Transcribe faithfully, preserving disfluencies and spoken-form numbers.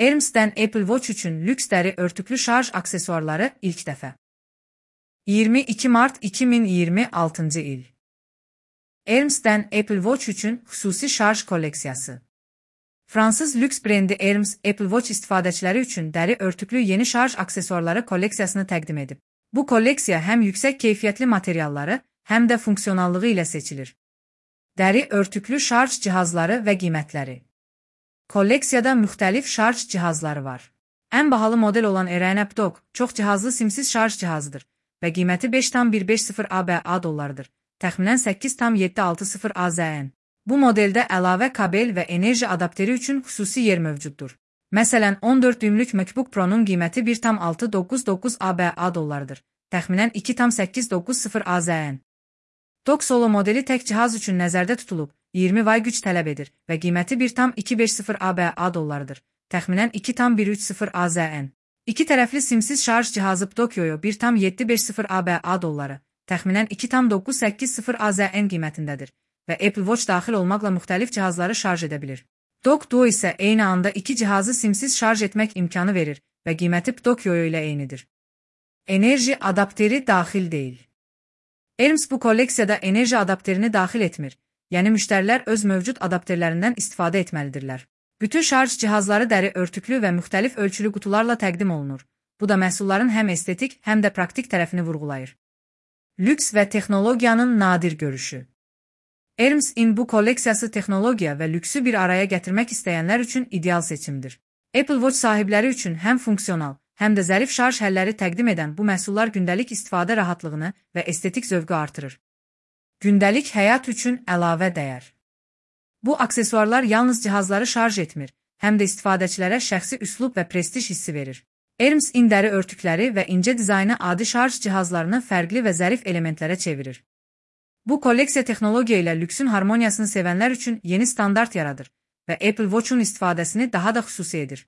Hermes'dən Apple Watch üçün lüks dəri örtüklü şarj aksesuarları ilk dəfə. iyirmi iki mart iki min iyirmi altıncı il. Hermes'dən Apple Watch üçün xüsusi şarj kolleksiyası. Fransız lüks brendi Hermes, Apple Watch istifadəçiləri üçün dəri örtüklü yeni şarj aksesuarları kolleksiyasını təqdim edib. Bu kolleksiya həm yüksək keyfiyyətli materialları, həm də funksionallığı ilə seçilir. Dəri örtüklü şarj cihazları və qiymətləri. Kolleksiyada müxtəlif şarj cihazları var. Ən bahalı model olan Aireon Dock çox cihazlı simsiz şarj cihazıdır və qiyməti beş tam bir beş sıfır ABA dollardır, təxminən səkkiz tam yeddi altı sıfır AZN. Bu modeldə əlavə kabel və enerji adapteri üçün xüsusi yer mövcuddur. Məsələn, on dörd düymlük MacBook Pro-nun qiyməti bir tam altı doqquz doqquz ABA dollardır, təxminən iki tam səkkiz doqquz sıfır AZN. Dock Solo modeli tək cihaz üçün nəzərdə tutulub, iyirmi vay güc tələb edir və qiyməti bir tam iki beş sıfır ABA dollardır, təxminən iki tam bir üç sıfır AZN. İki tərəfli simsiz şarj cihazı Dokyoyo bir tam yeddi beş sıfır ABA dolları, təxminən iki tam doqquz səkkiz sıfır AZN qiymətindədir və Apple Watch daxil olmaqla müxtəlif cihazları şarj edə bilir. Dock Duo isə eyni anda iki cihazı simsiz şarj etmək imkanı verir və qiyməti Dokyoyo ilə eynidir. Enerji adapteri daxil deyil. Hermes bu kolleksiyada enerji adapterini daxil etmir, yəni müştərilər öz mövcud adapterlərindən istifadə etməlidirlər. Bütün şarj cihazları dəri örtüklü və müxtəlif ölçülü qutularla təqdim olunur. Bu da məhsulların həm estetik, həm də praktik tərəfini vurğulayır. Lüks və texnologiyanın nadir görüşü. Hermes-in bu kolleksiyası texnologiya və lüksü bir araya gətirmək istəyənlər üçün ideal seçimdir. Apple Watch sahibləri üçün həm funksional, həm də zərif şarj həlləri təqdim edən bu məhsullar gündəlik istifadə rahatlığını və estetik zövqü artırır. Gündəlik həyat üçün əlavə dəyər. Bu aksesuarlar yalnız cihazları şarj etmir, həm də istifadəçilərə şəxsi üslub və prestij hissi verir. Hermes-in dəri örtükləri və incə dizaynı adi şarj cihazlarını fərqli və zərif elementlərə çevirir. Bu kolleksiya texnologiya ilə lüksün harmoniyasını sevənlər üçün yeni standart yaradır və Apple Watch-un istifadəsini daha da xüsusi edir.